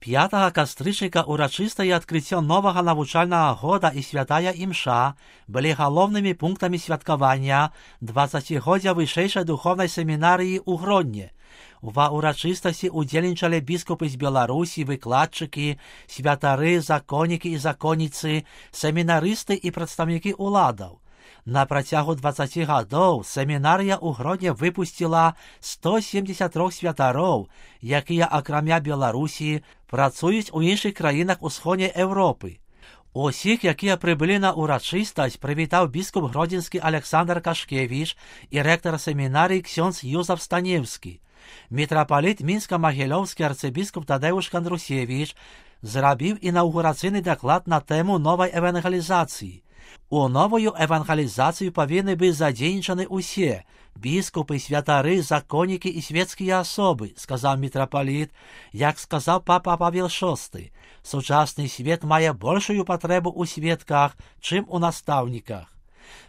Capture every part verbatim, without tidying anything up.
пятага кастрычніка урачыстае адкрыццё новага навучальнага года і святая імша былі галоўнымі пунктамі святкавання дваццацігоддзя вышэйшай духовнай семінарыі ў Гродні. Ва урачыстасці удзельнічалі біскупы з Беларусі, выкладчыкі, святары, законнікі і законніцы, семінарысты і прадстаўнікі уладаў. На працягу дваццаці гадоў семінарыя ў Гродні выпусціла сто семдзесят трох святароў, якія акрамя Беларусі працуюць у іншых краінах усходняй Еўропы. Усіх, якія прыбылі на урачыстасць, прывітаў біскуп гродзенскі Александр Кашкевіч і рэктар семінарыі ксёндз Юзаф Станеўскі. Мітрапаліт мінска-магілёўскі арцыбіскуп Тадэуш Кандрусевіч зрабіў інаўгурацыйны даклад на тэму новай евангелізацыі. У новую евангелізацыю павінны быць задзейнічаны ўсе біскупы, святары, законнікі і свецкія асобы, сказаў мітрапаліт. Як сказаў папа Павел шосты, сучасны свет мае большую патрэбу ў сведках, чым у настаўніках.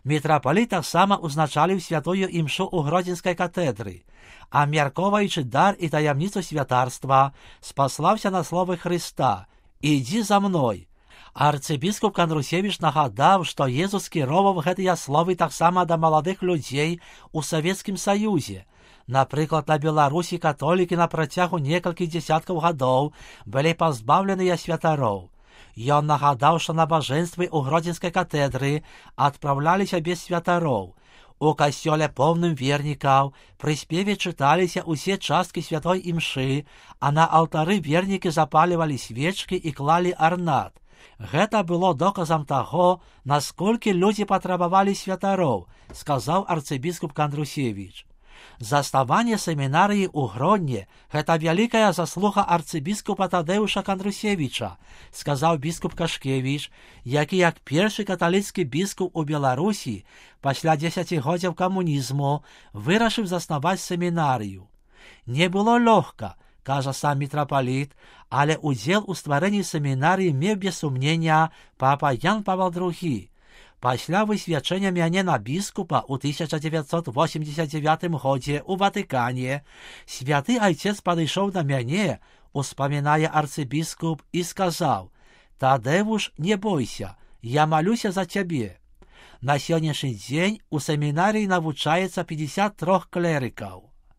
Мітрапаліт таксама узначаліў святую імшу ў Гродзенскай катедры, а мяркоўваючы дар і таямніцу святарства, спаслаўся на словы Хрыста: «Ідзі за мной». Арцыбіскуп Кандрусевіч нагадаў, што Езус кіроўваў гэтыя словы таксама да маладых людзей у Савецкім Саюзе. Напрыклад, на Беларусі католікі на працягу некалькіх дзесяткаў гадоў былі пазбаўленыя святароў. Ён нагадаў, што набажэнствы ў Гродзенскай катедры адпраўляліся без святароў. У касцёле поўным вернікаў пры спеве чыталіся ўсе часткі святой імшы, а на алтары вернікі запалівалі свечкі і клалі арнат. Гэта было доказам таго, насколькі людзі патрабавалі святароў, сказаў арцыбіскуп Кандрусевіч. Заставанне семінарыі ў Гродні – гэта вялікая заслуга арцыбіскупа Тадэуша Кандрусевіча, сказаў біскуп Кашкевіч, які як першы каталіцкі біскуп у Беларусі пасля дзесяцігоддзяў камунізму вырашыў заснаваць семінарыю. Не было лёгка, кажа сам мітрапаліт, але удзел у стварэнні семінарыі меў без сумнення папа Ян Павел другі. Пасля высвячэння мяне на біскупа ў тысяча дзевяцьсот восемьдесят дзевятым годзе ў Ватыкане святы айцец падышоў да мяне, успамінае арцыбіскуп, і сказаў: «Тадэвуш, не бойся, я малюся за цябе». На сённяшні дзень у семінарыі навучаецца пятьдесят трох клерыкаў.